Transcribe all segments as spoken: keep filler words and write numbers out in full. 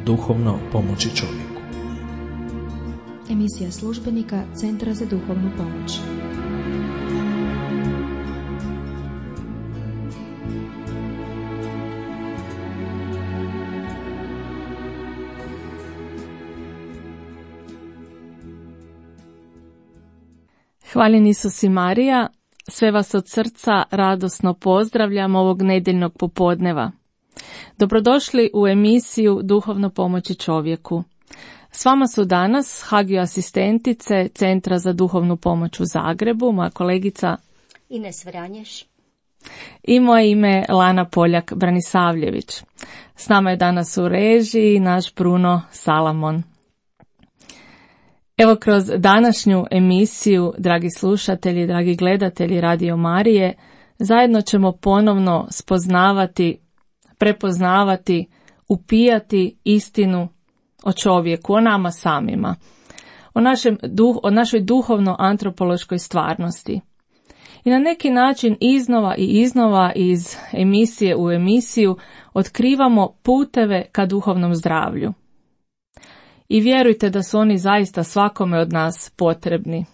duhovno pomoći čovjeku. Emisija službenika Centra za duhovnu pomoć. Hvaljen Isus i Marija, sve vas od srca radosno pozdravljam ovog nedjeljnog popodneva. Dobrodošli u emisiju Duhovno pomoći čovjeku. S vama su danas Hagio asistentice Centra za duhovnu pomoć u Zagrebu, moja kolegica Ines Vranješ i moje ime Lana Poljak-Branisavljević. S nama je danas u režiji naš Bruno Salamon. Evo, kroz današnju emisiju, dragi slušatelji, dragi gledatelji Radio Marije, zajedno ćemo ponovno spoznavati, prepoznavati, upijati istinu o čovjeku, o nama samima, o, našem, o našoj duhovno-antropološkoj stvarnosti. I na neki način iznova i iznova iz emisije u emisiju otkrivamo puteve ka duhovnom zdravlju. I vjerujte da su oni zaista svakome od nas potrebni.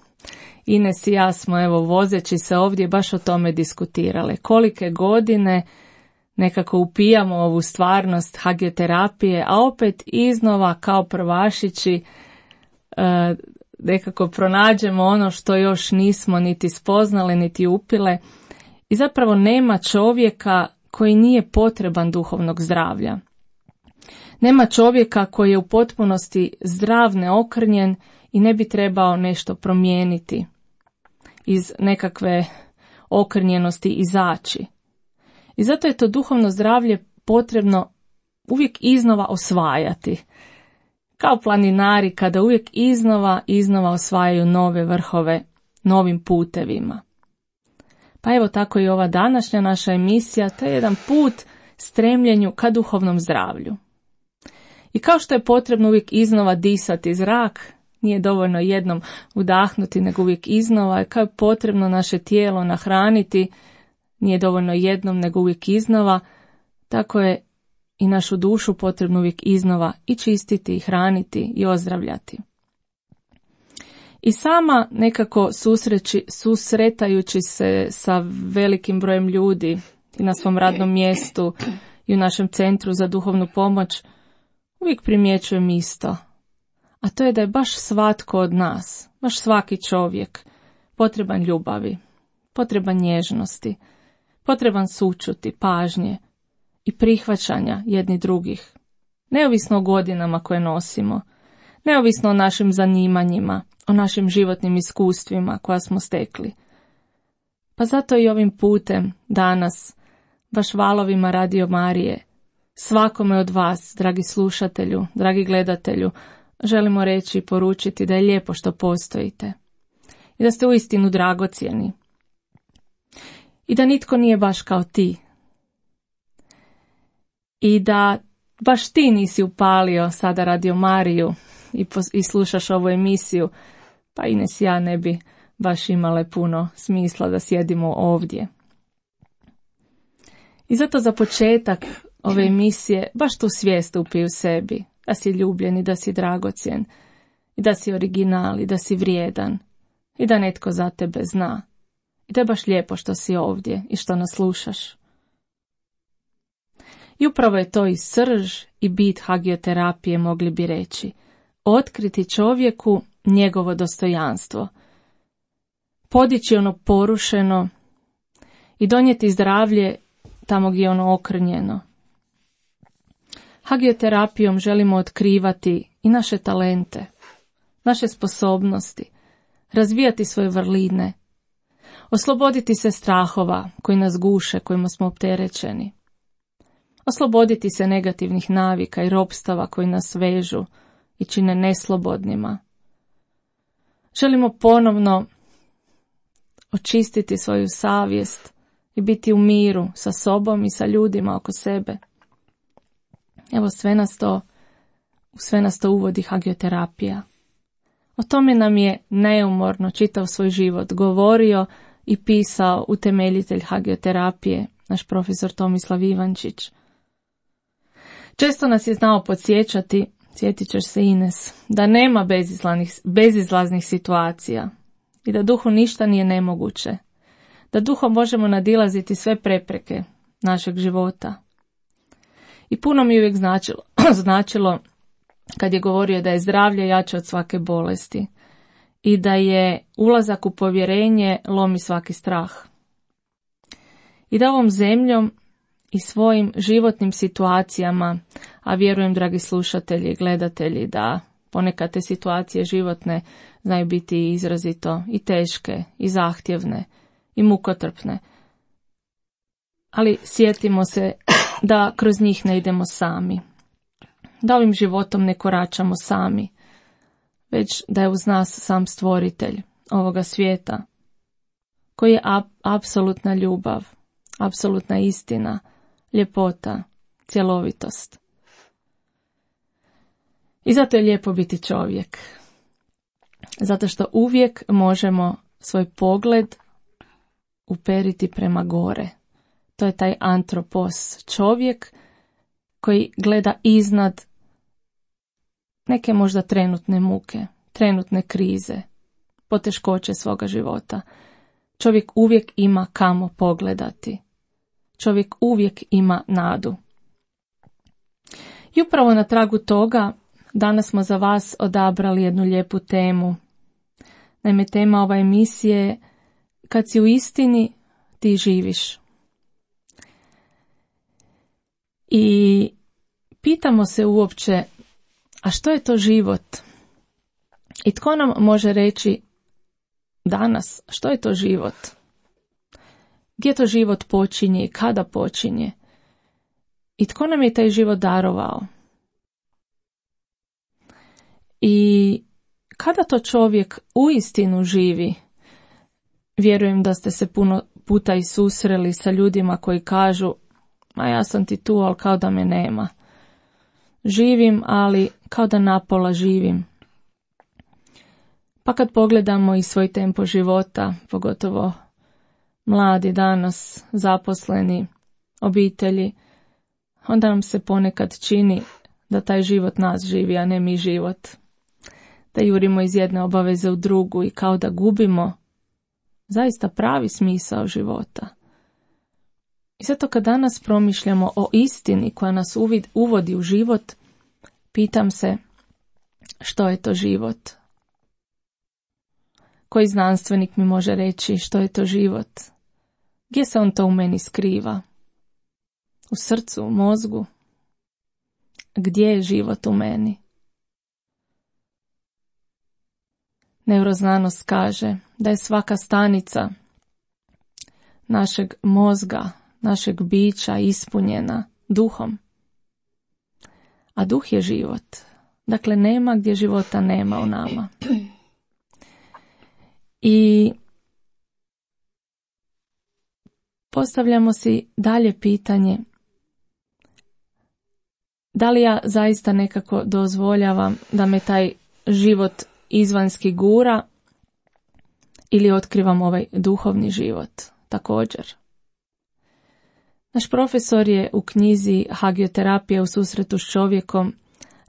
Ines i ja smo, evo, vozeći se ovdje baš o tome diskutirale. Kolike godine nekako upijamo ovu stvarnost hagioterapije, a opet iznova kao prvašići e, nekako pronađemo ono što još nismo niti spoznali, niti upile. I zapravo nema čovjeka koji nije potreban duhovnog zdravlja. Nema čovjeka koji je u potpunosti zdrav, neokrnjen i ne bi trebao nešto promijeniti, iz nekakve okrnjenosti izaći. I zato je to duhovno zdravlje potrebno uvijek iznova osvajati. Kao planinari kada uvijek iznova, iznova osvajaju nove vrhove, novim putevima. Pa evo tako i ova današnja naša emisija, to je jedan put stremljenju ka duhovnom zdravlju. I kao što je potrebno uvijek iznova disati zrak, nije dovoljno jednom udahnuti, nego uvijek iznova, kao je potrebno naše tijelo nahraniti, nije dovoljno jednom, nego uvijek iznova, tako je i našu dušu potrebno uvijek iznova i čistiti, i hraniti, i ozdravljati. I sama nekako susreći, susretajući se sa velikim brojem ljudi i na svom radnom mjestu i u našem Centru za duhovnu pomoć, uvijek primjećujem isto, a to je da je baš svatko od nas, baš svaki čovjek, potreban ljubavi, potreban nježnosti, potreban sućuti, pažnje i prihvaćanja jedni drugih, neovisno o godinama koje nosimo, neovisno o našim zanimanjima, o našim životnim iskustvima koja smo stekli. Pa zato i ovim putem danas, baš valovima Radio Marije, svakome od vas, dragi slušatelju, dragi gledatelju, želimo reći i poručiti da je lijepo što postojite i da ste uistinu dragocjeni i da nitko nije baš kao ti i da baš ti nisi upalio sada Radio Mariju i, pos- i slušaš ovu emisiju, pa Ines i ja ne bi baš imale puno smisla da sjedimo ovdje. I zato za početak ove emisije baš tu svijest upi u sebi, da si ljubljen i da si dragocjen, i da si original i da si vrijedan, i da netko za tebe zna, i da je baš lijepo što si ovdje i što nas slušaš. I upravo je to i srž i bit hagioterapije, mogli bi reći, otkriti čovjeku njegovo dostojanstvo, podići ono porušeno i donijeti zdravlje tamo gdje je ono okrnjeno. Hagioterapijom želimo otkrivati i naše talente, naše sposobnosti, razvijati svoje vrline, osloboditi se strahova koji nas guše, kojima smo opterećeni, osloboditi se negativnih navika i ropstava koji nas vežu i čine neslobodnima. Želimo ponovno očistiti svoju savjest i biti u miru sa sobom i sa ljudima oko sebe. Evo, sve nas to, sve nas to uvodi hagioterapija. O tome nam je neumorno čitav svoj život govorio i pisao utemeljitelj hagioterapije, naš profesor Tomislav Ivančić. Često nas je znao podsjećati, sjetit ćeš se Ines, da nema bezizlaznih, bezizlaznih situacija i da duhu ništa nije nemoguće, da duhom možemo nadilaziti sve prepreke našeg života. I puno mi je uvijek značilo, značilo kad je govorio da je zdravlje jače od svake bolesti i da je ulazak u povjerenje lomi svaki strah. I da ovom zemljom i svojim životnim situacijama, a vjerujem, dragi slušatelji i gledatelji, da ponekad te situacije životne znaju biti izrazito i teške, i zahtjevne, i mukotrpne. Ali sjetimo se da kroz njih ne idemo sami, da ovim životom ne koračamo sami, već da je uz nas sam stvoritelj ovoga svijeta, koji je ap- apsolutna ljubav, apsolutna istina, ljepota, cjelovitost. I zato je lijepo biti čovjek. Zato što uvijek možemo svoj pogled uperiti prema gore. To je taj antropos, čovjek koji gleda iznad neke možda trenutne muke, trenutne krize, poteškoće svoga života. Čovjek uvijek ima kamo pogledati. Čovjek uvijek ima nadu. I upravo na tragu toga danas smo za vas odabrali jednu lijepu temu. Naime, tema ove emisije je kad si u istini, ti živiš. I pitamo se uopće, a što je to život? I tko nam može reći danas što je to život? Gdje to život počinje i kada počinje? I tko nam je taj život darovao? I kada to čovjek uistinu živi? Vjerujem da ste se puno puta i susreli sa ljudima koji kažu, ma ja sam ti tu, ali kao da me nema. Živim, ali kao da napola živim. Pa kad pogledamo i svoj tempo života, pogotovo mladi danas, zaposleni, obitelji, onda nam se ponekad čini da taj život nas živi, a ne mi život. Da jurimo iz jedne obaveze u drugu i kao da gubimo zaista pravi smisao života. I zato kad danas promišljamo o istini koja nas uvid, uvodi u život, pitam se što je to život? Koji znanstvenik mi može reći što je to život? Gdje se on to u meni skriva? U srcu, u mozgu? Gdje je život u meni? Neuroznanost kaže da je svaka stanica našeg mozga, našeg bića ispunjena duhom. A duh je život. Dakle, nema gdje života nema u nama. I postavljamo si dalje pitanje, da li ja zaista nekako dozvoljavam da me taj život izvanjski gura ili otkrivam ovaj duhovni život također. Naš profesor je u knjizi Hagioterapija u susretu s čovjekom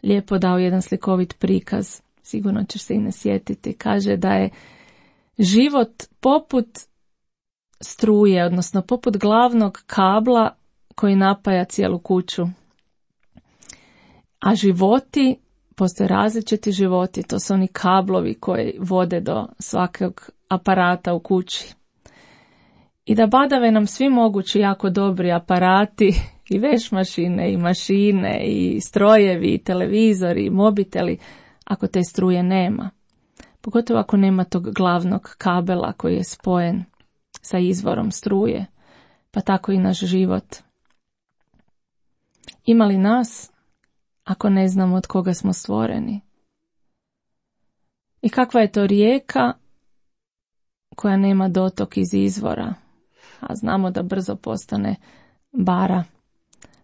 lijepo dao jedan slikovit prikaz, sigurno ćeš se i ne sjetiti. Kaže da je život poput struje, odnosno poput glavnog kabla koji napaja cijelu kuću. A životi, postoje različiti životi, to su oni kablovi koji vode do svakog aparata u kući. I da badave nam svi mogući jako dobri aparati, i veš mašine, i mašine, i strojevi, i televizori, i mobiteli, ako te struje nema. Pogotovo ako nema tog glavnog kabela koji je spojen sa izvorom struje, pa tako i naš život. Ima li nas ako ne znamo od koga smo stvoreni? I kakva je to rijeka koja nema dotok iz izvora, a znamo da brzo postane bara,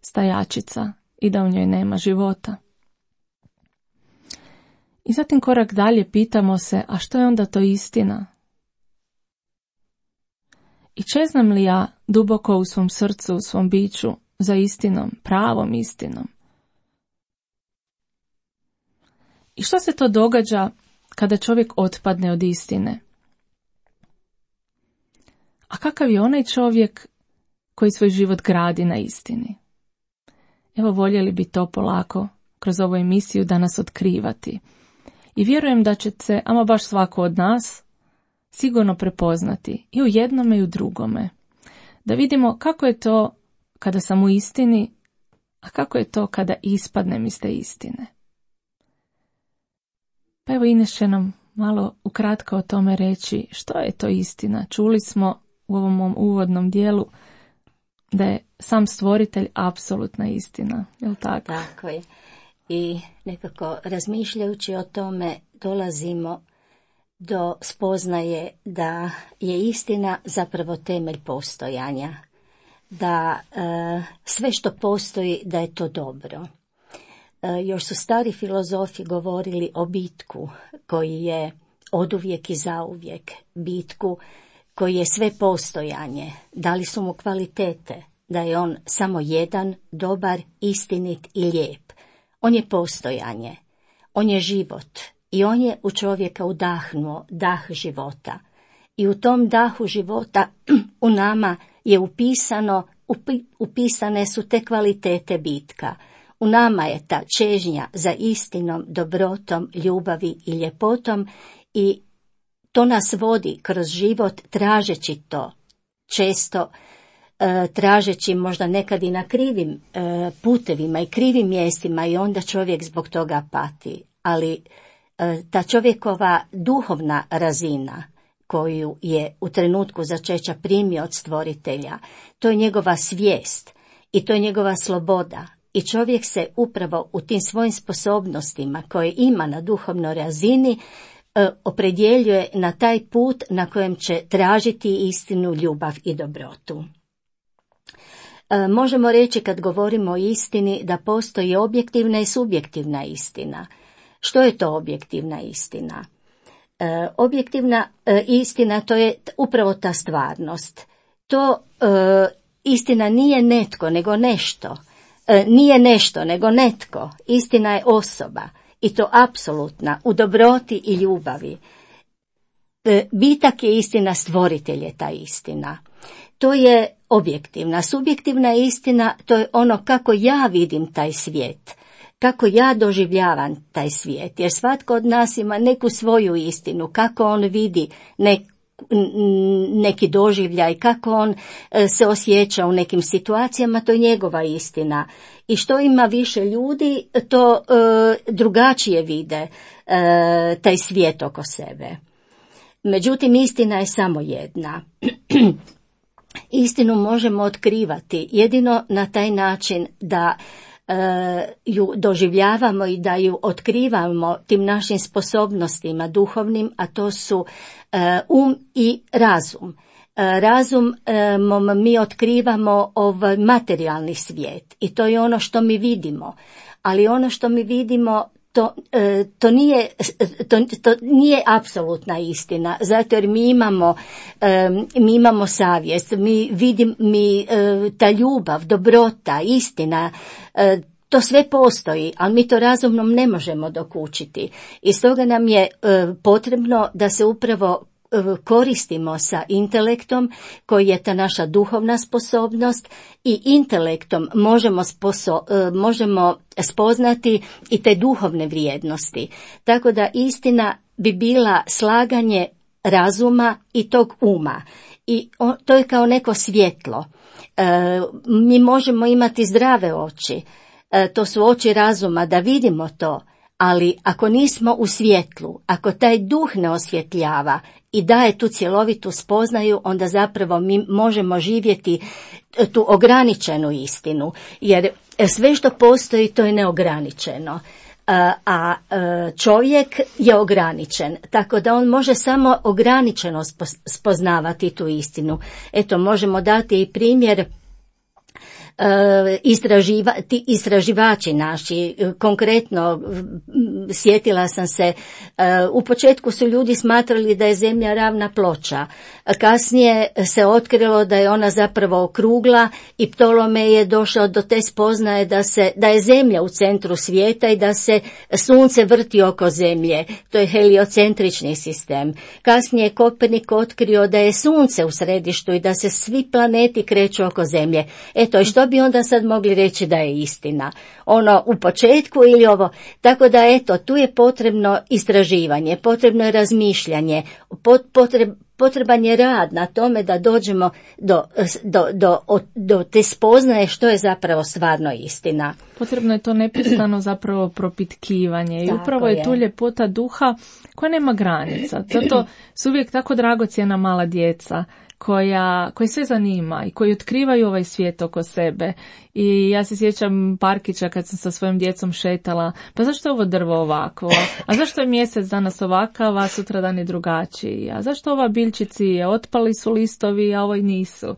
stajačica i da u njoj nema života. I zatim korak dalje pitamo se, a što je onda to istina? I čeznem li ja duboko u svom srcu, u svom biću za istinom, pravom istinom? I što se to događa kada čovjek otpadne od istine? A kakav je onaj čovjek koji svoj život gradi na istini? Evo, voljeli bi to polako kroz ovu emisiju danas otkrivati. I vjerujem da će se, ama baš svako od nas, sigurno prepoznati i u jednome i u drugome. Da vidimo kako je to kada sam u istini, a kako je to kada ispadnem iz te istine. Pa evo, Ines će nam malo ukratko o tome reći što je to istina. Čuli smo u ovom mom uvodnom dijelu da je sam stvoritelj apsolutna istina, je li tako? Tako je. I nekako razmišljajući o tome dolazimo do spoznaje da je istina zapravo temelj postojanja. Da e, sve što postoji da je to dobro. E, još su stari filozofi govorili o bitku koji je oduvijek i zauvijek. Bitku koji je sve postojanje. Dali su mu kvalitete. Da je on samo jedan, dobar, istinit i lijep. On je postojanje. On je život. I on je u čovjeka udahnuo dah života. I u tom dahu života u nama je upisano, upi, upisane su te kvalitete bitka. U nama je ta čežnja za istinom, dobrotom, ljubavi i ljepotom i to nas vodi kroz život tražeći to. Često e, tražeći možda nekad i na krivim e, putevima i krivim mjestima i onda čovjek zbog toga pati. Ali e, ta čovjekova duhovna razina koju je u trenutku začeća primio od stvoritelja, to je njegova svijest i to je njegova sloboda. I čovjek se upravo u tim svojim sposobnostima koje ima na duhovnoj razini e, opredjeljuje na taj put na kojem će tražiti istinu, ljubav i dobrotu. E, možemo reći kad govorimo o istini da postoji objektivna i subjektivna istina. Što je to objektivna istina? E, objektivna e, istina to je upravo ta stvarnost. To e, istina nije netko nego nešto. E, nije nešto nego netko. Istina je osoba i to apsolutna u dobroti i ljubavi. E, bitak je istina, stvoritelj je ta istina. To je objektivna. Subjektivna istina to je ono kako ja vidim taj svijet. Kako ja doživljavam taj svijet, jer svatko od nas ima neku svoju istinu, kako on vidi nek, neki doživljaj, kako on se osjeća u nekim situacijama, to je njegova istina. I što ima više ljudi, to e, drugačije vide e, taj svijet oko sebe. Međutim, istina je samo jedna. Istinu možemo otkrivati jedino na taj način da ju doživljavamo i da ju otkrivamo tim našim sposobnostima duhovnim, a to su um i razum. Razumom mi otkrivamo ovaj materijalni svijet i to je ono što mi vidimo, ali ono što mi vidimo to, to nije, to, to nije apsolutna istina, zato jer mi imamo, mi imamo savjest, mi vidimo, mi, ta ljubav, dobrota, istina, to sve postoji, ali mi to razumnom ne možemo dokučiti. I stoga nam je potrebno da se upravo koristimo sa intelektom koji je ta naša duhovna sposobnost i intelektom možemo, sposo, možemo spoznati i te duhovne vrijednosti. Tako da istina bi bila slaganje razuma i tog uma. I to je kao neko svjetlo. Mi možemo imati zdrave oči. To su oči razuma da vidimo to. Ali ako nismo u svjetlu, ako taj duh ne osvjetljava i daje tu cjelovitu spoznaju, onda zapravo mi možemo živjeti tu ograničenu istinu, jer sve što postoji to je neograničeno, a čovjek je ograničen, tako da on može samo ograničeno spoznavati tu istinu. Eto, možemo dati i primjer. Istraživa, ti istraživači naši, konkretno sjetila sam se, u početku su ljudi smatrali da je zemlja ravna ploča. Kasnije se otkrilo da je ona zapravo okrugla i Ptolomej je došao do te spoznaje da se, da je zemlja u centru svijeta i da se sunce vrti oko zemlje. To je heliocentrični sistem. Kasnije je Kopernik otkrio da je sunce u središtu i da se svi planeti kreću oko zemlje. Eto, i što bi onda sad mogli reći da je istina? Ono u početku ili ovo? Tako da, eto, tu je potrebno istraživanje, potrebno je razmišljanje, potreb, potreban je rad na tome da dođemo do, do, do, do te spoznaje što je zapravo stvarno istina. Potrebno je to neprestano zapravo propitkivanje i tako upravo je, je tu ljepota duha koja nema granica. Zato su uvijek tako dragocjena mala djeca koja, koji sve zanima i koji otkrivaju ovaj svijet oko sebe. I ja se sjećam parkića kad sam sa svojim djecom šetala, pa zašto je ovo drvo ovako? A zašto je mjesec danas ovakav, a sutra dan je drugačiji? A zašto ova biljčici je otpali su listovi, a ovoj nisu?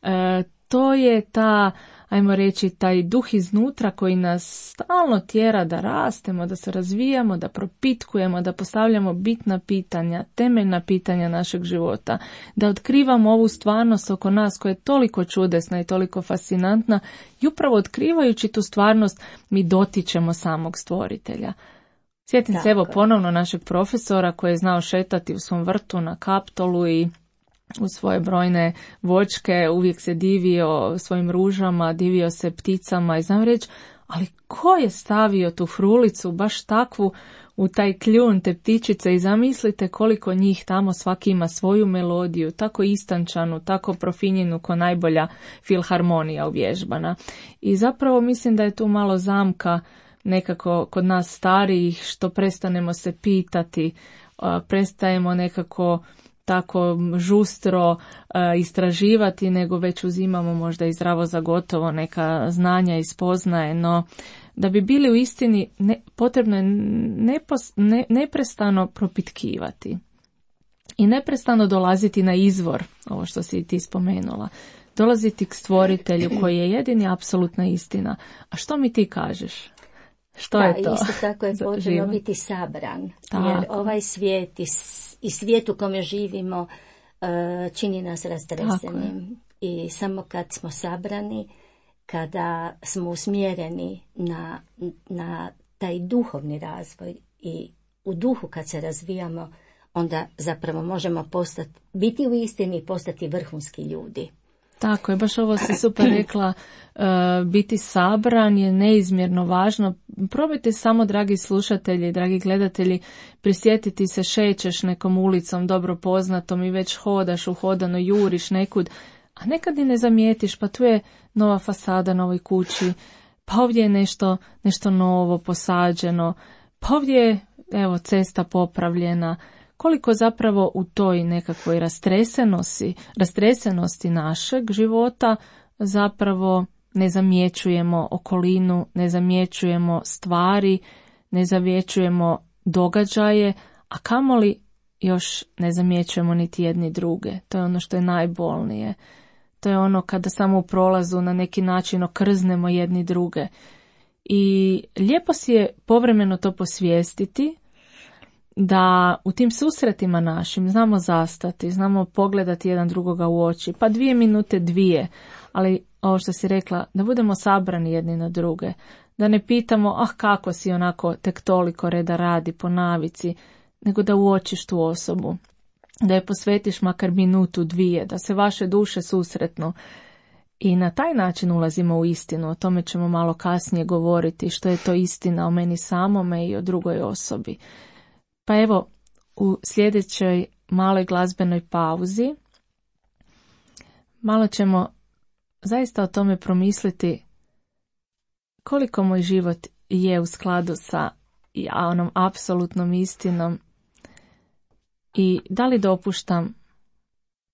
E, to je ta, ajmo reći, taj duh iznutra koji nas stalno tjera da rastemo, da se razvijamo, da propitkujemo, da postavljamo bitna pitanja, temeljna pitanja našeg života, da otkrivamo ovu stvarnost oko nas koja je toliko čudesna i toliko fascinantna i upravo otkrivajući tu stvarnost mi dotičemo samog stvoritelja. Sjetim se evo ponovno našeg profesora koji je znao šetati u svom vrtu na Kaptolu i u svoje brojne voćke, uvijek se divio svojim ružama, divio se pticama i znam reći, ali ko je stavio tu frulicu, baš takvu, u taj kljun te ptičice i zamislite koliko njih tamo svaki ima svoju melodiju, tako istančanu, tako profinjenu ko najbolja filharmonija uvježbana. I zapravo mislim da je tu malo zamka nekako kod nas starijih što prestanemo se pitati, prestajemo nekako tako žustro uh, istraživati, nego već uzimamo možda i zdravo za gotovo neka znanja i spoznaje, no da bi bili u istini ne, potrebno je nepos, ne, neprestano propitkivati i neprestano dolaziti na izvor, ovo što si ti spomenula, dolaziti k stvoritelju koji je jedini apsolutna istina. A što mi ti kažeš? Što da, je to? Isto tako je potrebno biti sabran, tako. Jer ovaj svijet i, i svijet u kome živimo uh, čini nas rastresenim. I samo kad smo sabrani, kada smo usmjereni na, na taj duhovni razvoj i u duhu kad se razvijamo, onda zapravo možemo postati, biti u istini i postati vrhunski ljudi. Tako je, baš ovo si super rekla, uh, biti sabran je neizmjerno važno. Probajte samo, dragi slušatelji, dragi gledatelji, prisjetiti se, šećeš nekom ulicom dobro poznatom i već hodaš uhodano, juriš nekud, a nekad i ne zamijetiš, pa tu je nova fasada na ovoj kući, pa ovdje je nešto, nešto novo posađeno, pa ovdje je, evo, cesta popravljena. Koliko zapravo u toj nekakvoj rastresenosti, rastresenosti našeg života zapravo ne zamjećujemo okolinu, ne zamjećujemo stvari, ne zamjećujemo događaje, a kamoli još ne zamjećujemo niti jedni druge. To je ono što je najbolnije. To je ono kada samo u prolazu na neki način okrznemo jedni druge. I lijepo si je povremeno to posvijestiti, da u tim susretima našim znamo zastati, znamo pogledati jedan drugoga u oči, pa dvije minute dvije, ali ovo što si rekla, da budemo sabrani jedni na druge, da ne pitamo, ah kako si onako tek toliko reda radi po navici, nego da uočiš tu osobu, da je posvetiš makar minutu dvije, da se vaše duše susretnu. I na taj način ulazimo u istinu, o tome ćemo malo kasnije govoriti, što je to istina o meni samome i o drugoj osobi. Pa evo, u sljedećoj maloj glazbenoj pauzi malo ćemo zaista o tome promisliti koliko moj život je u skladu sa onom apsolutnom istinom i da li dopuštam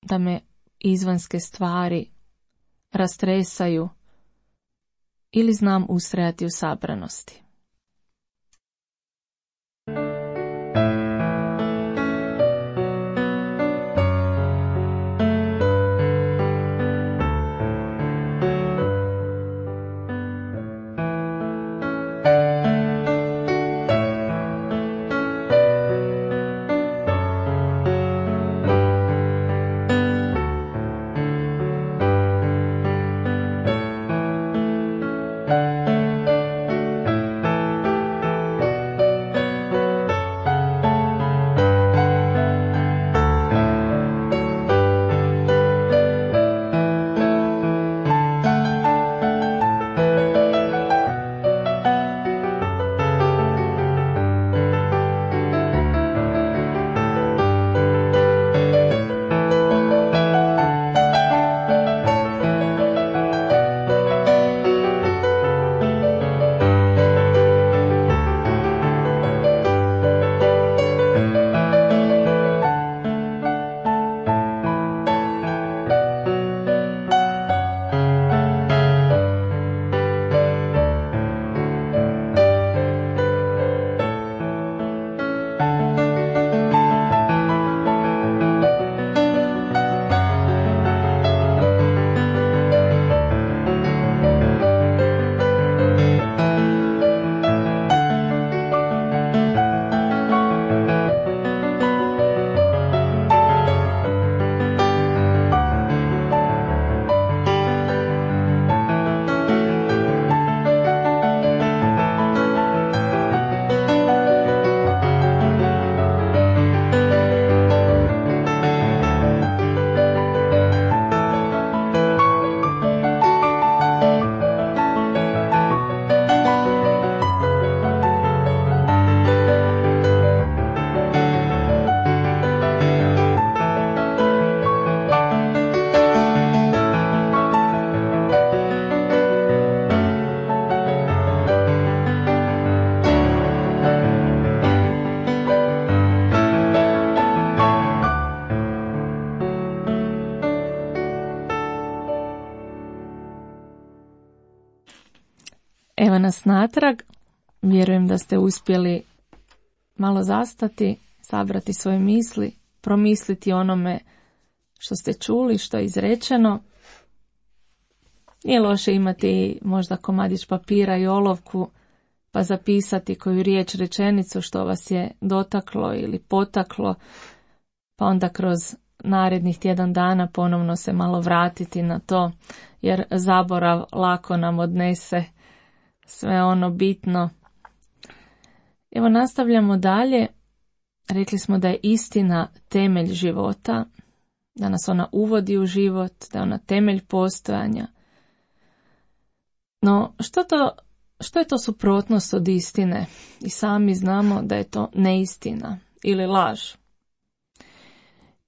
da me izvanjske stvari rastresaju ili znam ustrajati u sabranosti. Evo nas natrag. Vjerujem da ste uspjeli malo zastati, sabrati svoje misli, promisliti onome što ste čuli, što je izrečeno. Nije loše imati možda komadić papira i olovku, pa zapisati koju riječ, rečenicu što vas je dotaklo ili potaklo, pa onda kroz narednih tjedan dana ponovno se malo vratiti na to, jer zaborav lako nam odnese sve ono bitno. Evo nastavljamo dalje. Rekli smo da je istina temelj života, da nas ona uvodi u život, da je ona temelj postojanja. No, što to, što je to suprotnost od istine? I sami znamo da je to neistina ili laž.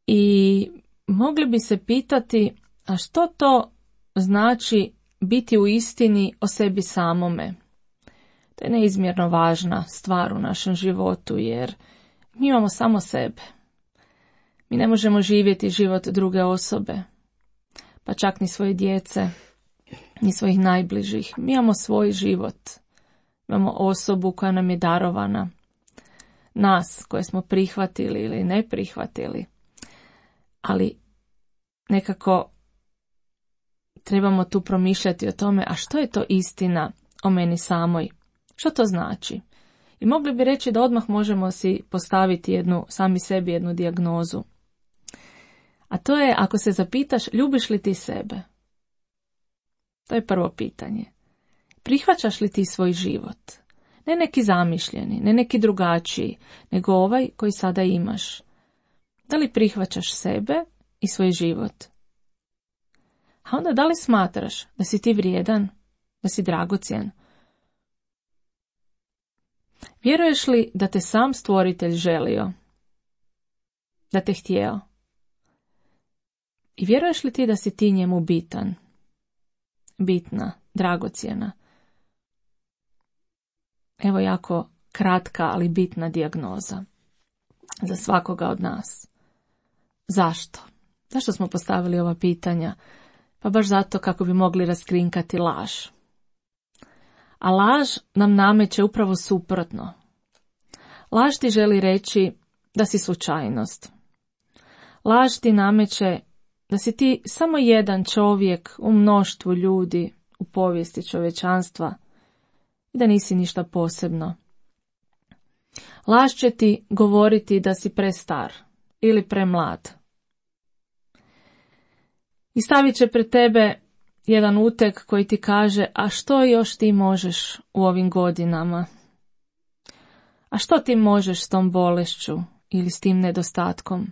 I mogli bi se pitati, a što to znači biti u istini o sebi samome? To je neizmjerno važna stvar u našem životu, jer mi imamo samo sebe. Mi ne možemo živjeti život druge osobe, pa čak ni svoje djece, ni svojih najbližih. Mi imamo svoj život. Imamo osobu koja nam je darovana. Nas koje smo prihvatili ili ne prihvatili. Ali nekako trebamo tu promišljati o tome, a što je to istina o meni samoj? Što to znači? I mogli bi reći da odmah možemo si postaviti jednu, sami sebi jednu dijagnozu. A to je, ako se zapitaš, ljubiš li ti sebe? To je prvo pitanje. Prihvaćaš li ti svoj život? Ne neki zamišljeni, ne neki drugačiji, nego ovaj koji sada imaš. Da li prihvaćaš sebe i svoj život? A onda da li smatraš da si ti vrijedan, da si dragocjen? Vjeruješ li da te sam stvoritelj želio? Da te htjeo? I vjeruješ li ti da si ti njemu bitan? Bitna, dragocjena? Evo jako kratka, ali bitna dijagnoza za svakoga od nas. Zašto? Zašto smo postavili ova pitanja? Pa baš zato kako bi mogli raskrinkati laž. A laž nam nameće upravo suprotno. Laž ti želi reći da si slučajnost. Laž ti nameće da si ti samo jedan čovjek u mnoštvu ljudi u povijesti čovječanstva i da nisi ništa posebno. Laž će ti govoriti da si prestar ili premlad. I stavit će pred tebe jedan uteg koji ti kaže, a što još ti možeš u ovim godinama? A što ti možeš s tom bolešću ili s tim nedostatkom?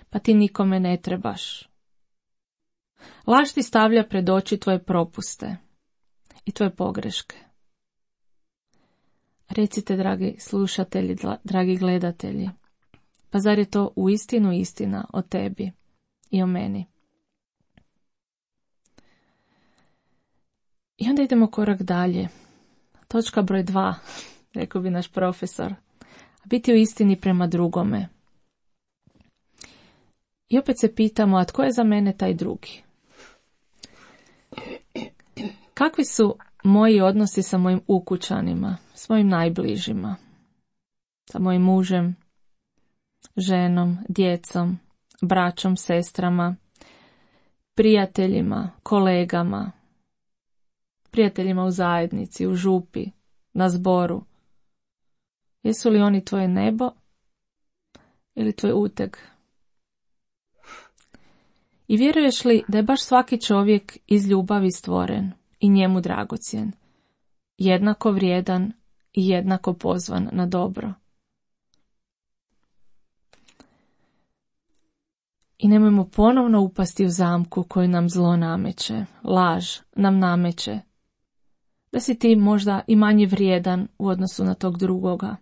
Pa ti nikome ne trebaš. Laž ti stavlja pred oči tvoje propuste i tvoje pogreške. Recite, dragi slušatelji, dragi gledatelji, pa zar je to uistinu istina o tebi i o meni? I onda idemo korak dalje. Točka broj dva, rekao bi naš profesor. Biti u istini prema drugome. I opet se pitamo, a tko je za mene taj drugi? Kakvi su moji odnosi sa mojim ukućanima, s mojim najbližima, sa mojim mužem, ženom, djecom, braćom, sestrama, prijateljima, kolegama, prijateljima u zajednici, u župi, na zboru? Jesu li oni tvoje nebo ili tvoj uteg? I vjeruješ li da je baš svaki čovjek iz ljubavi stvoren i njemu dragocjen, jednako vrijedan i jednako pozvan na dobro? I nemojmo ponovno upasti u zamku koju nam zlo nameće, laž nam nameće, da si ti možda i manje vrijedan u odnosu na tog drugoga.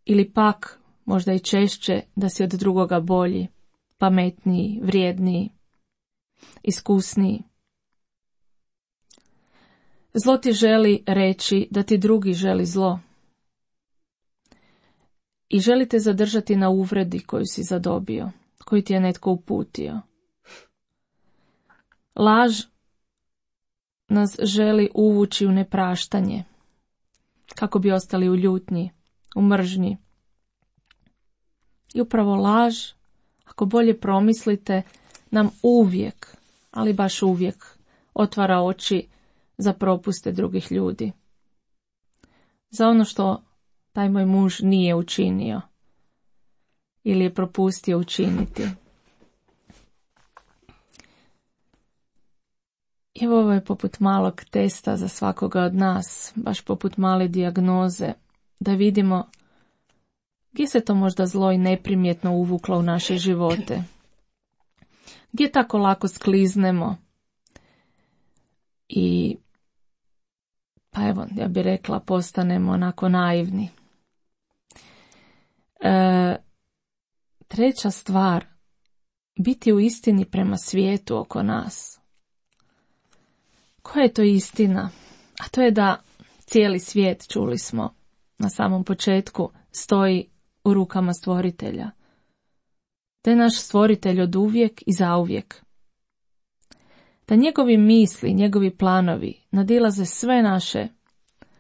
Ili pak, možda i češće, da si od drugoga bolji, pametniji, vrijedniji, iskusniji. Zlo ti želi reći da ti drugi želi zlo. I želi te zadržati na uvredi koju si zadobio, koju ti je netko uputio. Laž nas želi uvući u nepraštanje, kako bi ostali u ljutnji, u mržnji. I upravo laž, ako bolje promislite, nam uvijek, ali baš uvijek, otvara oči za propuste drugih ljudi. Za ono što taj moj muž nije učinio ili je propustio učiniti. I ovo je poput malog testa za svakoga od nas, baš poput male dijagnoze, da vidimo gdje se to možda zlo i neprimjetno uvuklo u naše živote. Gdje tako lako skliznemo i, pa evo, ja bih rekla, postanemo onako naivni. E, treća stvar, biti u istini prema svijetu oko nas. Koja je to istina? A to je da cijeli svijet, čuli smo na samom početku, stoji u rukama stvoritelja. Da je naš stvoritelj od uvijek i zauvijek. Da njegovi misli, njegovi planovi nadilaze sve naše,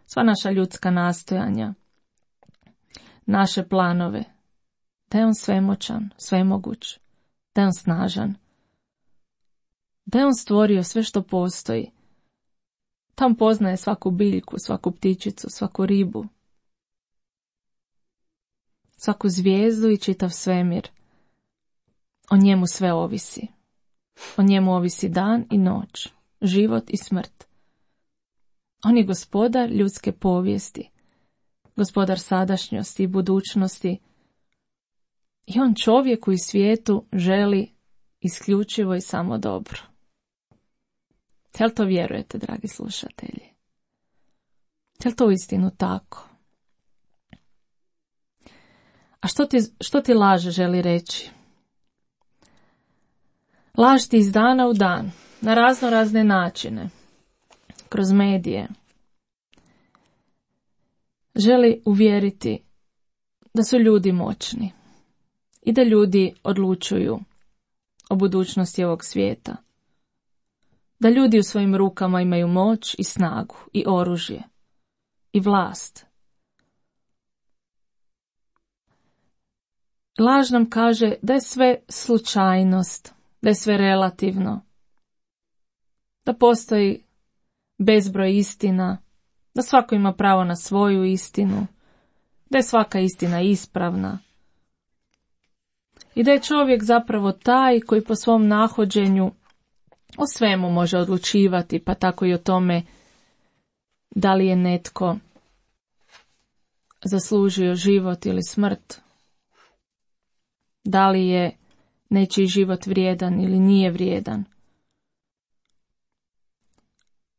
sva naša ljudska nastojanja, naše planove. Da je on svemoćan, svemoguć, da je on snažan. Da je on stvorio sve što postoji. Tam poznaje svaku biljku, svaku ptičicu, svaku ribu, svaku zvijezdu i čitav svemir. O njemu sve ovisi. O njemu ovisi dan i noć, život i smrt. On je gospodar ljudske povijesti, gospodar sadašnjosti i budućnosti. I on čovjeku i svijetu želi isključivo i samo dobro. Jel to vjerujete, dragi slušatelji? Jel to uistinu tako? A što ti, što ti laž želi reći? Laž ti iz dana u dan, na razno razne načine, kroz medije, želi uvjeriti da su ljudi moćni i da ljudi odlučuju o budućnosti ovog svijeta. Da ljudi u svojim rukama imaju moć i snagu i oružje i vlast. Laž nam kaže da je sve slučajnost, da je sve relativno, da postoji bezbroj istina, da svako ima pravo na svoju istinu, da je svaka istina ispravna i da je čovjek zapravo taj koji po svom nahođenju o svemu može odlučivati, pa tako i o tome da li je netko zaslužio život ili smrt, da li je nečiji život vrijedan ili nije vrijedan.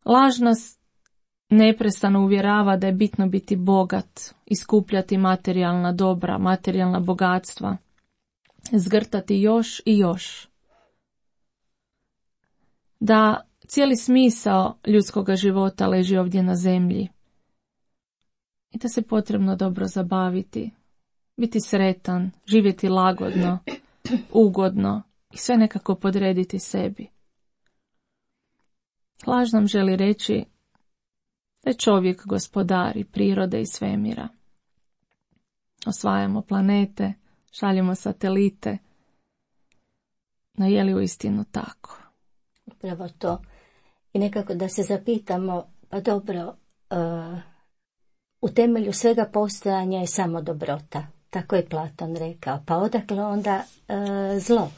Laž nas neprestano uvjerava da je bitno biti bogat, iskupljati materijalna dobra, materijalna bogatstva, zgrtati još i još. Da cijeli smisao ljudskog života leži ovdje na zemlji i da se potrebno dobro zabaviti, biti sretan, živjeti lagodno, ugodno i sve nekako podrediti sebi. Laž nam želi reći da je čovjek gospodar i prirode i svemira. Osvajamo planete, šaljemo satelite, no je li uistinu tako? Upravo to. I nekako da se zapitamo, pa dobro, uh, u temelju svega postojanja je samo dobrota. Tako je Platon rekao. Pa odakle onda uh, zlo?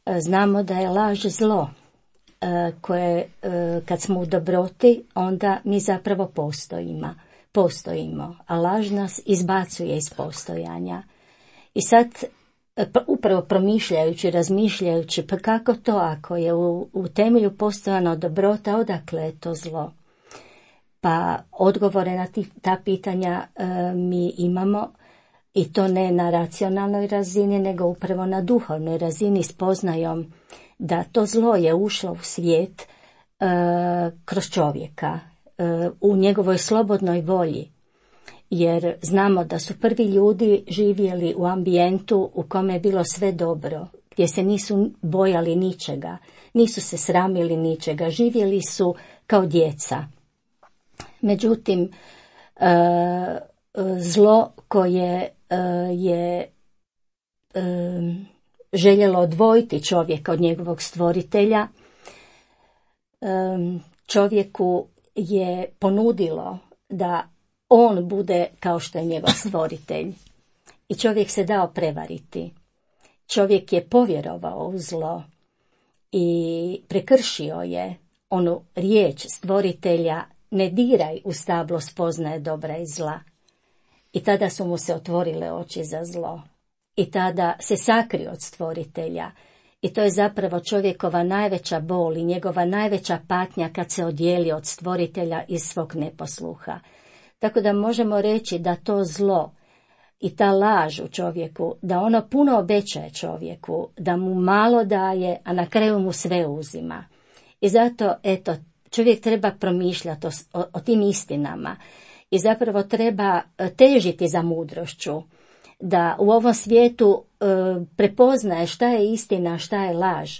Uh, znamo da je laž zlo, uh, koje uh, kad smo u dobroti, onda mi zapravo postojimo. postojimo, a laž nas izbacuje iz postojanja. I sad, upravo promišljajući, razmišljajući, pa kako to ako je u, u temelju postojana dobrota, odakle je to zlo? Pa odgovore na ti, ta pitanja e, mi imamo, i to ne na racionalnoj razini, nego upravo na duhovnoj razini, spoznajom da to zlo je ušlo u svijet e, kroz čovjeka, e, u njegovoj slobodnoj volji. Jer znamo da su prvi ljudi živjeli u ambijentu u kome je bilo sve dobro, gdje se nisu bojali ničega, nisu se sramili ničega, živjeli su kao djeca. Međutim, zlo koje je željelo odvojiti čovjeka od njegovog stvoritelja, čovjeku je ponudilo da on bude kao što je njegov stvoritelj. I čovjek se dao prevariti. Čovjek je povjerovao u zlo i prekršio je onu riječ stvoritelja: ne diraj u stablo spoznaje dobra i zla. I tada su mu se otvorile oči za zlo. I tada se sakrio od stvoritelja. I to je zapravo čovjekova najveća bol i njegova najveća patnja kad se odijeli od stvoritelja iz svog neposluha. Tako da možemo reći da to zlo i ta laž u čovjeku, da ono puno obećaje čovjeku, da mu malo daje, a na kraju mu sve uzima. I zato, eto, čovjek treba promišljati o, o, o tim istinama i zapravo treba težiti za mudrošću, da u ovom svijetu e, prepoznaje šta je istina, šta je laž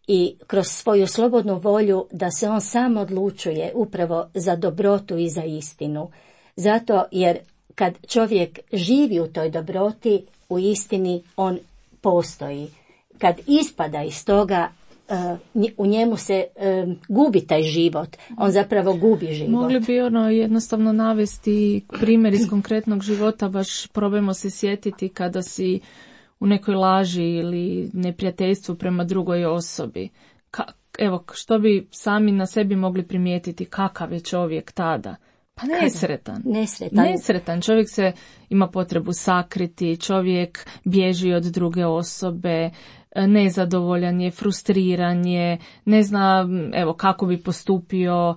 i kroz svoju slobodnu volju da se on sam odlučuje upravo za dobrotu i za istinu. Zato jer kad čovjek živi u toj dobroti, u istini on postoji. Kad ispada iz toga, u njemu se gubi taj život, on zapravo gubi život. Mogli bi ono jednostavno navesti primjer iz konkretnog života, baš probajmo se sjetiti kada si u nekoj laži ili neprijateljstvu prema drugoj osobi. Ka, evo, što bi sami na sebi mogli primijetiti, kakav je čovjek tada? Pa nesretan. Nesretan. Nesretan. Čovjek se ima potrebu sakriti, čovjek bježi od druge osobe, nezadovoljan je, frustriran je, ne zna evo kako bi postupio,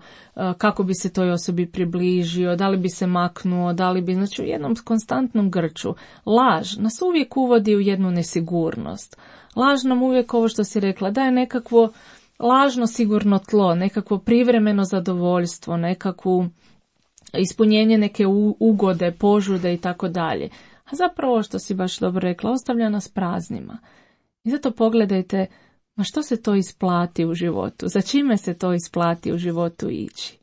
kako bi se toj osobi približio, da li bi se maknuo, da li bi, znači u jednom konstantnom grču. Laž nas uvijek uvodi u jednu nesigurnost. Laž nam uvijek, ovo što si rekla, daje nekakvo lažno sigurno tlo, nekakvo privremeno zadovoljstvo, nekakvu ispunjenje neke ugode, požude i tako dalje. A zapravo, što si baš dobro rekla, ostavlja nas praznima. I zato pogledajte, ma što se to isplati u životu? Za čime se to isplati u životu ići?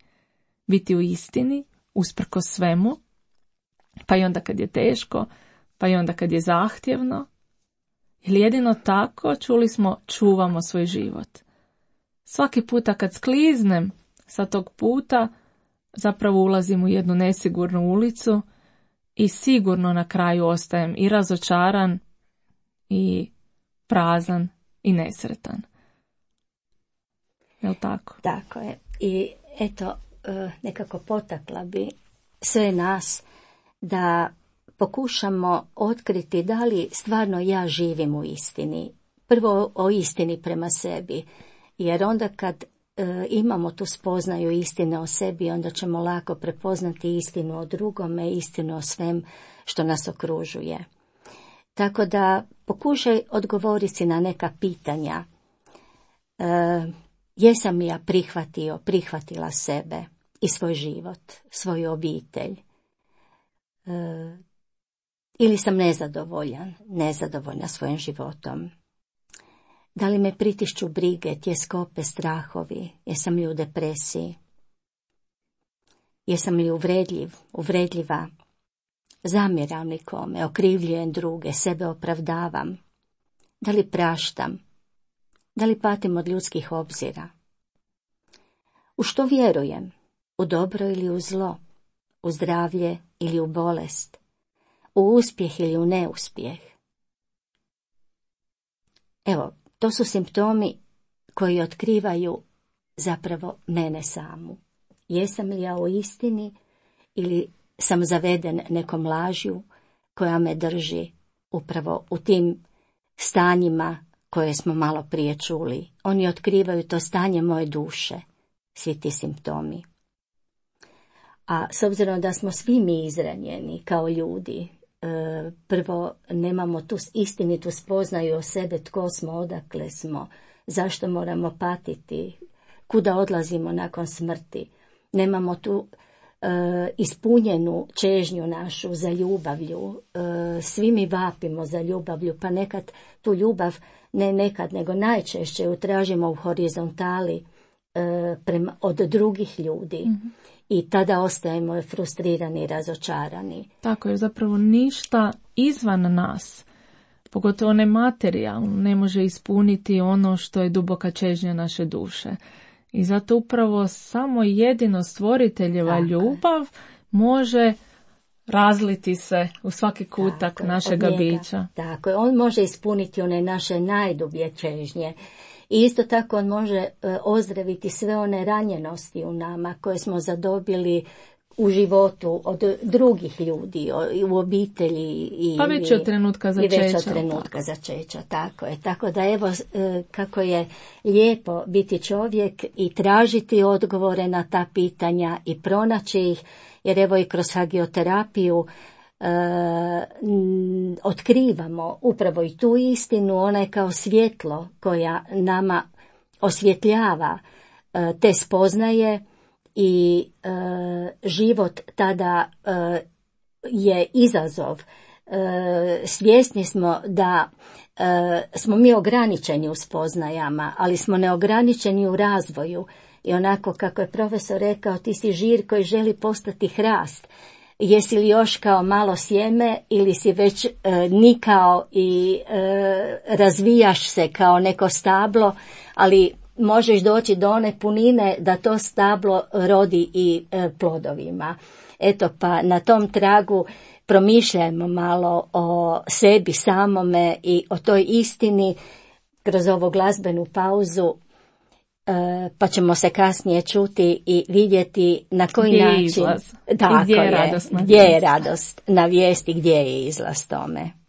Biti u istini, usprko svemu, pa i onda kad je teško, pa i onda kad je zahtjevno. Ili jedino tako, čuli smo, čuvamo svoj život. Svaki puta kad skliznem sa tog puta, zapravo ulazim u jednu nesigurnu ulicu i sigurno na kraju ostajem i razočaran i prazan i nesretan. Jel' tako? Tako je. I eto, nekako potakla bi sve nas da pokušamo otkriti da li stvarno ja živim u istini. Prvo o istini prema sebi, jer onda kad e, imamo tu spoznaju istine o sebi, onda ćemo lako prepoznati istinu o drugome, istinu o svem što nas okružuje. Tako da pokušaj odgovoriti na neka pitanja. E, jesam li ja prihvatio, prihvatila sebe i svoj život, svoju obitelj? E, ili sam nezadovoljan, nezadovoljna svojim životom? Da li me pritišću brige, tjeskobe, strahovi? Jesam li u depresiji? Jesam li uvredljiv, uvredljiva? Zamjeram nikome, okrivljujem druge, sebe opravdavam? Da li praštam? Da li patim od ljudskih obzira? U što vjerujem? U dobro ili u zlo? U zdravlje ili u bolest? U uspjeh ili u neuspjeh? Evo, to su simptomi koji otkrivaju zapravo mene samu. Jesam li ja u istini ili sam zaveden nekom lažju koja me drži upravo u tim stanjima koje smo malo prije čuli. Oni otkrivaju to stanje moje duše, svi ti simptomi. A s obzirom da smo svi mi izranjeni kao ljudi, prvo nemamo tu istinitu spoznaju o sebe, tko smo, odakle smo, zašto moramo patiti, kuda odlazimo nakon smrti. Nemamo tu e, ispunjenu čežnju našu za ljubavlju. E, svi mi vapimo za ljubavlju, pa nekad tu ljubav, ne nekad, nego najčešće ju tražimo u horizontali, e, prema, od drugih ljudi. Mm-hmm. I tada ostajemo frustrirani i razočarani. Tako je, zapravo ništa izvan nas, pogotovo ne materijalno, ne može ispuniti ono što je duboka čežnja naše duše. I zato upravo samo jedino stvoriteljeva Tako ljubav je. Može razliti se u svaki kutak tako našega bića. Tako je, on može ispuniti one naše najdublje čežnje. I isto tako on može e, ozdraviti sve one ranjenosti u nama koje smo zadobili u životu od drugih ljudi, u obitelji. I, pa već od trenutka začeća. I već od trenutka začeća, tako je. Tako da evo e, kako je lijepo biti čovjek i tražiti odgovore na ta pitanja i pronaći ih, jer evo i kroz hagioterapiju e, m, otkrivamo upravo i tu istinu, ona je kao svjetlo koja nama osvjetljava e, te spoznaje i e, život tada e, je izazov. E, svjesni smo da e, smo mi ograničeni u spoznajama, ali smo neograničeni u razvoju. I onako kako je profesor rekao, ti si žir koji želi postati hrast. Jesi li još kao malo sjeme ili si već e, nikao i e, razvijaš se kao neko stablo, ali možeš doći do one punine da to stablo rodi i e, plodovima. Eto pa na tom tragu promišljajmo malo o sebi samome i o toj istini kroz ovu glazbenu pauzu. E, pa ćemo se kasnije čuti i vidjeti na koji gdje način je izlaz. Tako gdje je, je, radost gdje je radost na vijesti, gdje je izlaz tome.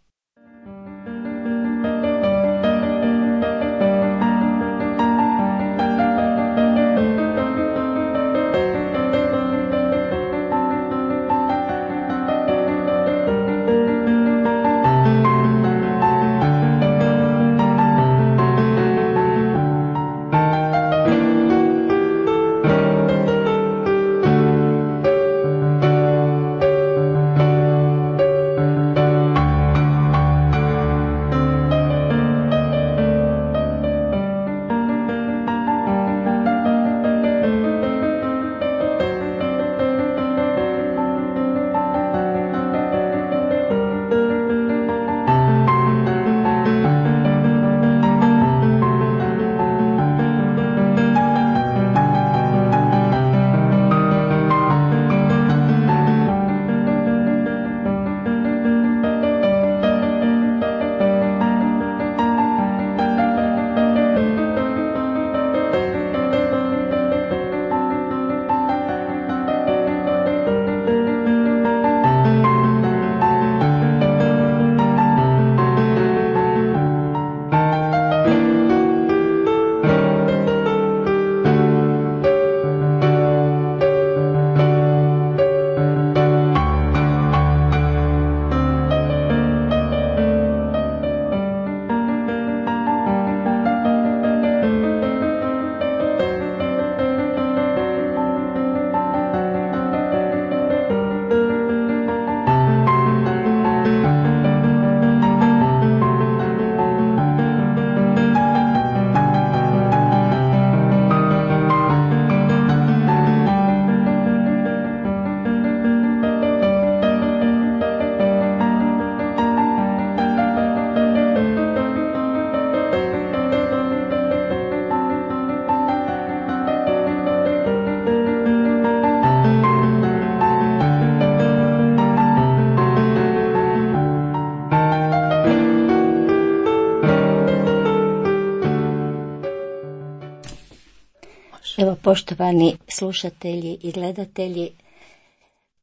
Evo, poštovani slušatelji i gledatelji,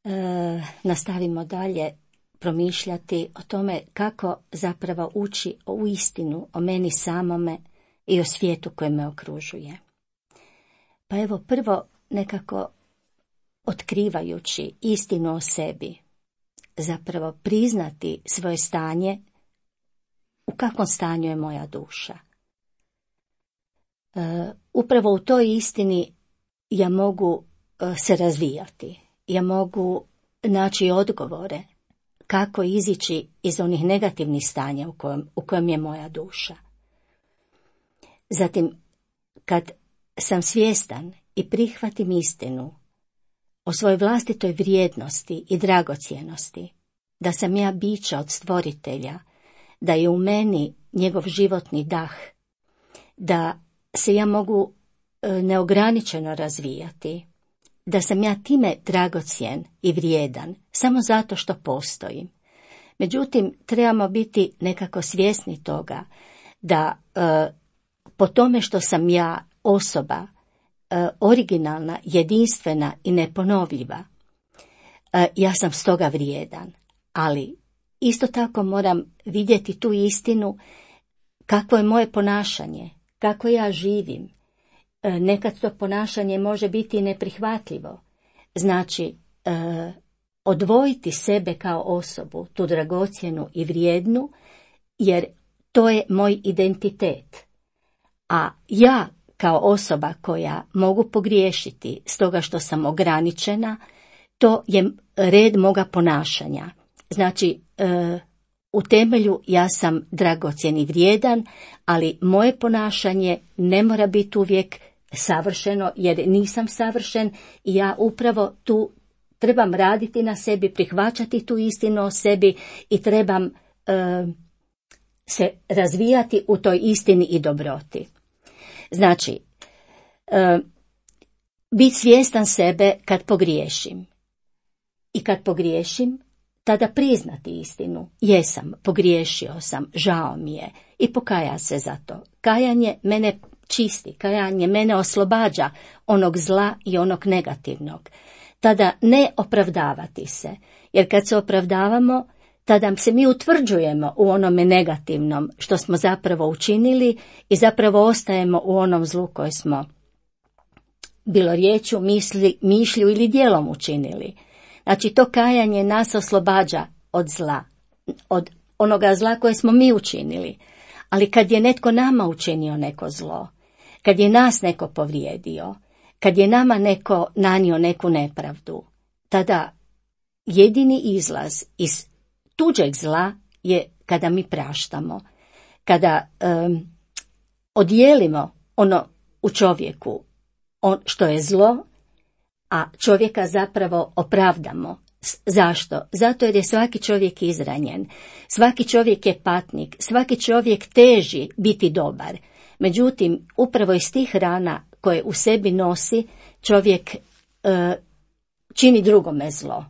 e, nastavimo dalje promišljati o tome kako zapravo ući u istinu o meni samome i o svijetu koji me okružuje. Pa evo, prvo nekako otkrivajući istinu o sebi, zapravo priznati svoje stanje, u kakvom stanju je moja duša. E, upravo u toj istini ja mogu e, se razvijati, ja mogu naći odgovore kako izići iz onih negativnih stanja u kojem, u kojem je moja duša. Zatim, kad sam svjestan i prihvatim istinu o svojoj vlastitoj vrijednosti i dragocjenosti, da sam ja biće od stvoritelja, da je u meni njegov životni dah, da se ja mogu e, neograničeno razvijati, da sam ja time dragocjen i vrijedan, samo zato što postojim. Međutim, trebamo biti nekako svjesni toga da e, po tome što sam ja osoba e, originalna, jedinstvena i neponovljiva, e, ja sam stoga vrijedan, ali isto tako moram vidjeti tu istinu kakvo je moje ponašanje, kako ja živim. E, nekad to ponašanje može biti neprihvatljivo. Znači, e, odvojiti sebe kao osobu, tu dragocjenu i vrijednu, jer to je moj identitet. A ja kao osoba koja mogu pogriješiti stoga što sam ograničena, to je red moga ponašanja. Znači, e, u temelju ja sam dragocjen i vrijedan, ali moje ponašanje ne mora biti uvijek savršeno, jer nisam savršen i ja upravo tu trebam raditi na sebi, prihvaćati tu istinu o sebi i trebam e, se razvijati u toj istini i dobroti. Znači, e, biti svjestan sebe kad pogriješim. I kad pogriješim, tada priznati istinu. Jesam, pogriješio sam, žao mi je i pokaja se za to. Kajanje mene čisti, kajanje mene oslobađa onog zla i onog negativnog. Tada ne opravdavati se, jer kad se opravdavamo, tada se mi utvrđujemo u onome negativnom što smo zapravo učinili i zapravo ostajemo u onom zlu koje smo bilo riječju, misli, mišlju ili djelom učinili. Znači, to kajanje nas oslobađa od zla, od onoga zla koje smo mi učinili. Ali kad je netko nama učinio neko zlo, kad je nas neko povrijedio, kad je nama neko nanio neku nepravdu, tada jedini izlaz iz tuđeg zla je kada mi praštamo, kada um, odijelimo ono u čovjeku on, što je zlo, a čovjeka zapravo opravdamo. Zašto? Zato jer je svaki čovjek izranjen, svaki čovjek je patnik, svaki čovjek teži biti dobar. Međutim, upravo iz tih rana koje u sebi nosi, čovjek e, čini drugome zlo.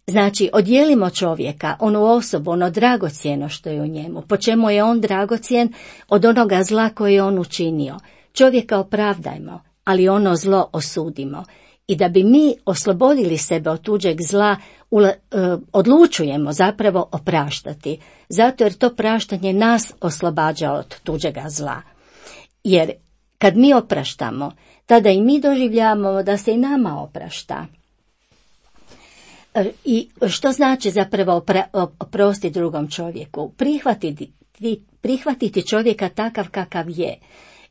Znači, odijelimo čovjeka, onu osobu, ono dragocjeno što je u njemu, po čemu je on dragocjen od onoga zla koje je on učinio. Čovjeka opravdajmo, ali ono zlo osudimo. I da bi mi oslobodili sebe od tuđeg zla, ula, e, odlučujemo zapravo opraštati. Zato jer to praštanje nas oslobađa od tuđega zla. Jer kad mi opraštamo, tada i mi doživljavamo da se i nama oprašta. E, I što znači zapravo opra, oprostiti drugom čovjeku? Prihvatiti, prihvatiti čovjeka takav kakav je.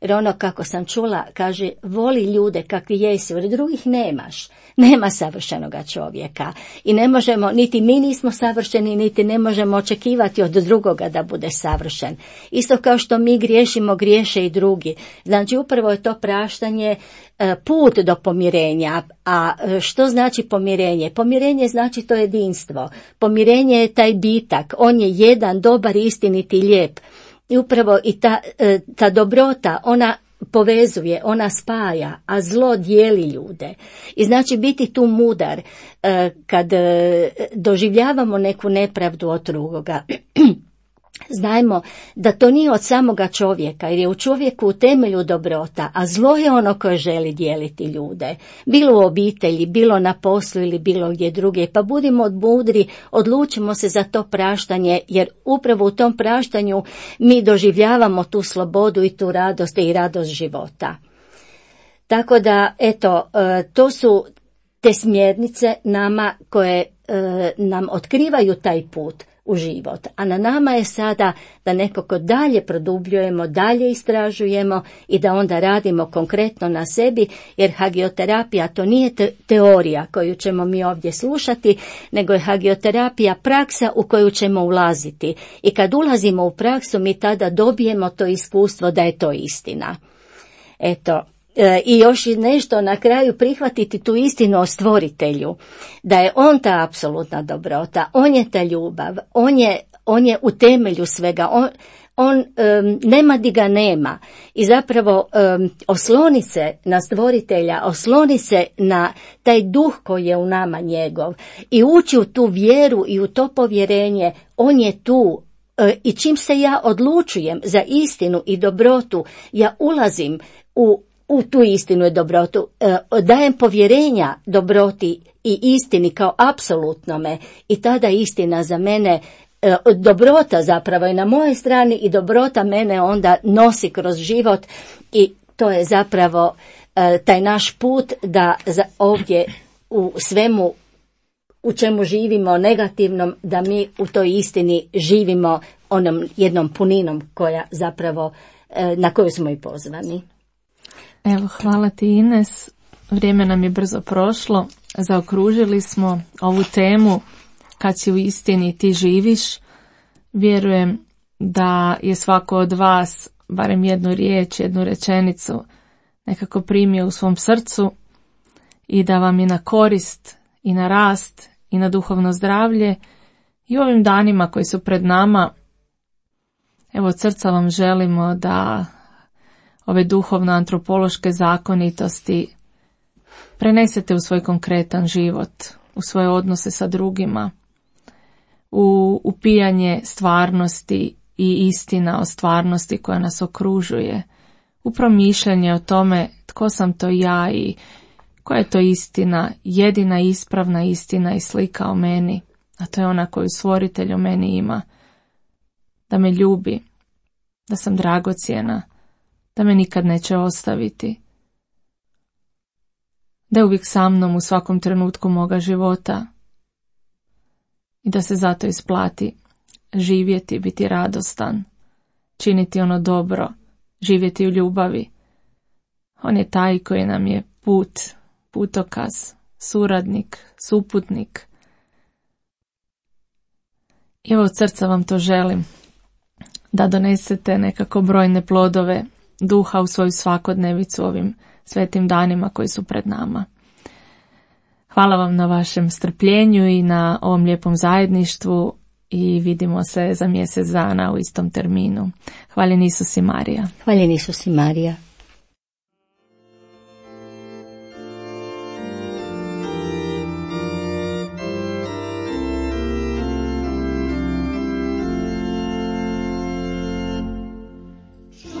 Jer ono, kako sam čula, kaže, voli ljude kakvi jesu, jer drugih nemaš. Nema savršenoga čovjeka. I ne možemo, niti mi nismo savršeni, niti ne možemo očekivati od drugoga da bude savršen. Isto kao što mi griješimo, griješe i drugi. Znači, upravo je to praštanje put do pomirenja. A što znači pomirenje? Pomirenje znači to jedinstvo. Pomirenje je taj bitak. On je jedan, dobar, istiniti, lijep. I upravo i ta, ta dobrota, ona povezuje, ona spaja, a zlo dijeli ljude. I znači biti tu mudar kad doživljavamo neku nepravdu od drugoga. Znajmo da to nije od samoga čovjeka, jer je u čovjeku u temelju dobrota, a zlo je ono koje želi dijeliti ljude. Bilo u obitelji, bilo na poslu ili bilo gdje druge. Pa budimo mudri, odlučimo se za to praštanje, jer upravo u tom praštanju mi doživljavamo tu slobodu i tu radost i radost života. Tako da, eto, to su te smjernice nama koje nam otkrivaju taj put u život. A na nama je sada da nekako dalje produbljujemo, dalje istražujemo i da onda radimo konkretno na sebi, jer hagioterapija to nije te- teorija koju ćemo mi ovdje slušati, nego je hagioterapija praksa u koju ćemo ulaziti. I kad ulazimo u praksu, mi tada dobijemo to iskustvo da je to istina. Eto, E, I još i nešto na kraju prihvatiti tu istinu o stvoritelju, da je on ta apsolutna dobrota, on je ta ljubav, on je, on je u temelju svega, on, on um, nema di ga nema i zapravo um, osloni se na stvoritelja, osloni se na taj duh koji je u nama njegov i ući u tu vjeru i u to povjerenje, on je tu. I čim se ja odlučujem za istinu i dobrotu, ja ulazim u, u tu istinu i dobrotu, dajem povjerenja dobroti i istini kao apsolutnome i tada istina za mene, dobrota zapravo je na mojoj strani i dobrota mene onda nosi kroz život i to je zapravo taj naš put da ovdje u svemu u čemu živimo negativnom, da mi u toj istini živimo onom jednom puninom koja zapravo, na koju smo i pozvani. Evo, hvala ti Ines. Vrijeme nam je brzo prošlo. Zaokružili smo ovu temu kad si u istini ti živiš. Vjerujem da je svako od vas barem jednu riječ, jednu rečenicu nekako primio u svom srcu i da vam je na korist i na rast i na duhovno zdravlje i u ovim danima koji su pred nama. Evo, od srca vam želimo da ove duhovno-antropološke zakonitosti prenesete u svoj konkretan život, u svoje odnose sa drugima, u upijanje stvarnosti i istina o stvarnosti koja nas okružuje, u promišljanje o tome tko sam to ja i koja je to istina, jedina ispravna istina i slika o meni, a to je ona koju stvoritelj o meni ima, da me ljubi, da sam dragocjena, da me nikad neće ostaviti, da je uvijek sa mnom u svakom trenutku moga života i da se zato isplati živjeti, biti radostan, činiti ono dobro, živjeti u ljubavi. On je taj koji nam je put, putokaz, suradnik, suputnik. I evo, od srca vam to želim, da donesete nekako brojne plodove duha u svoju svakodnevicu ovim svetim danima koji su pred nama. Hvala vam na vašem strpljenju i na ovom lijepom zajedništvu i vidimo se za mjesec dana u istom terminu. Hvaljen Isus i Marija. Hvaljen Isus i Marija. So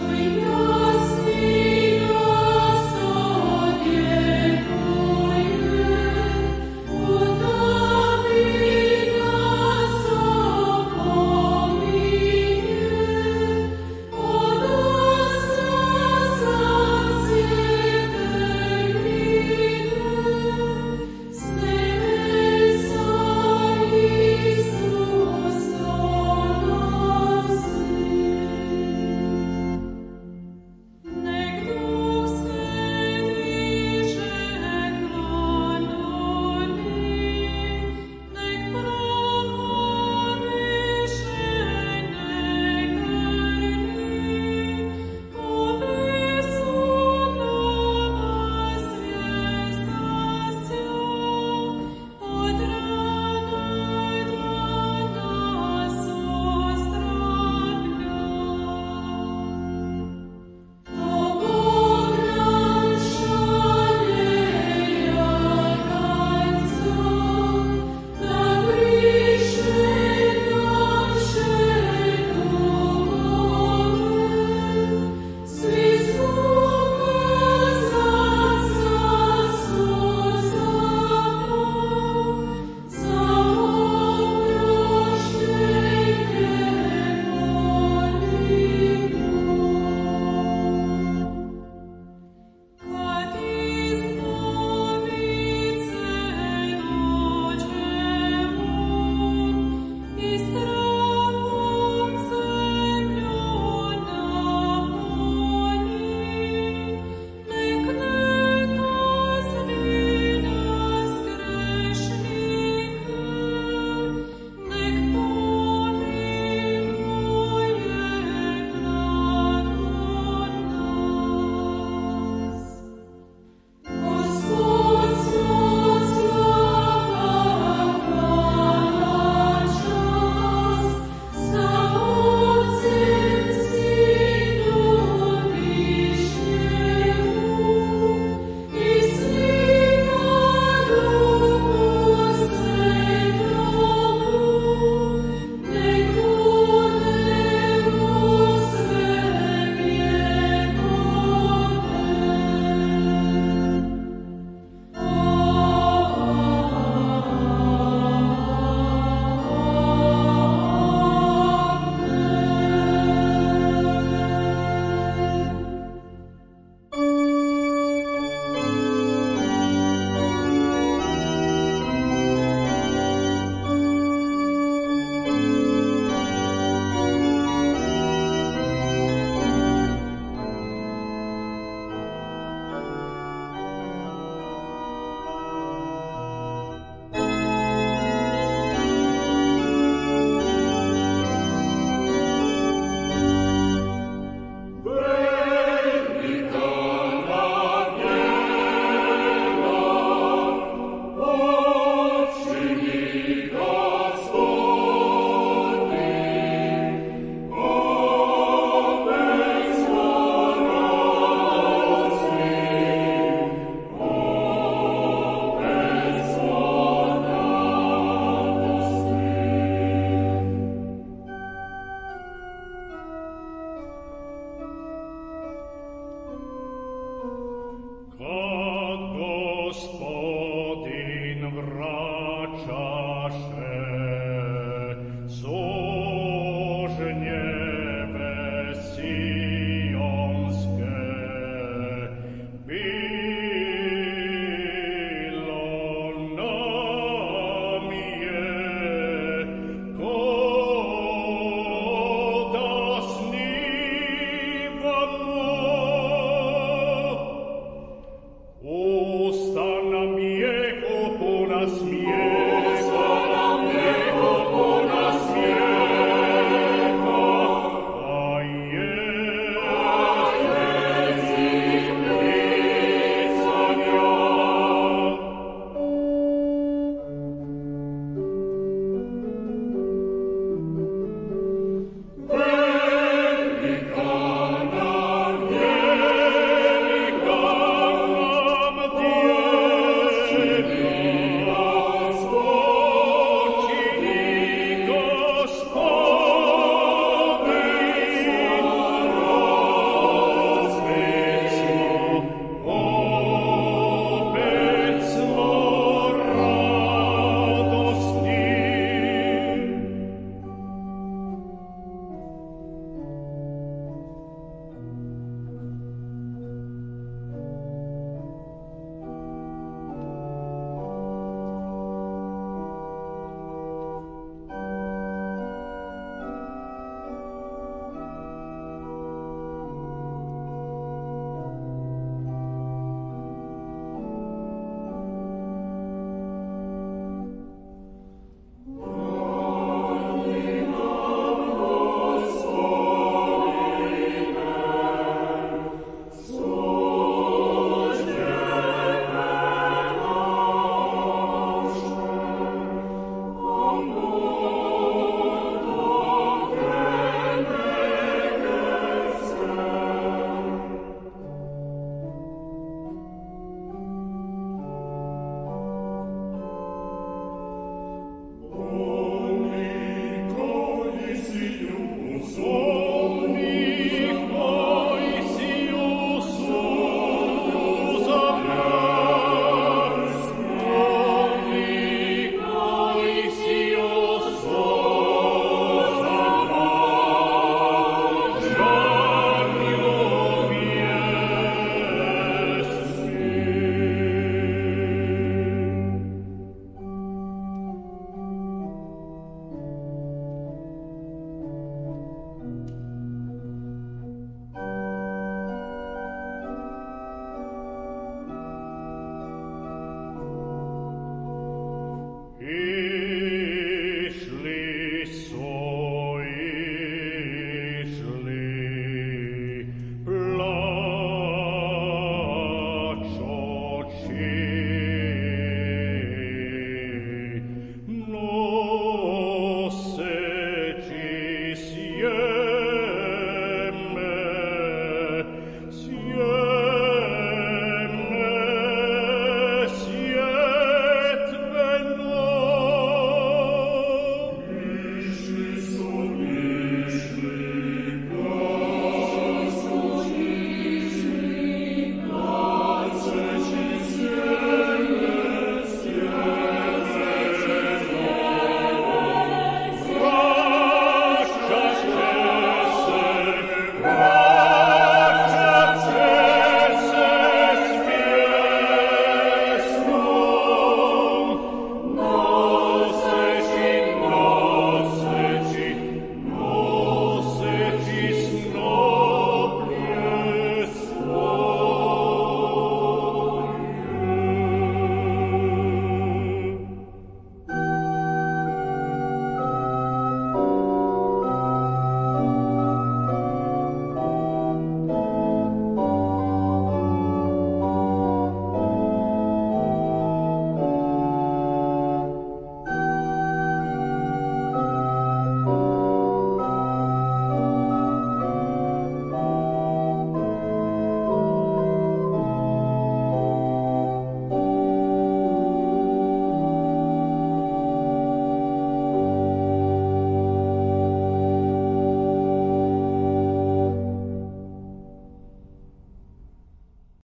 Usta nam je kupuna smije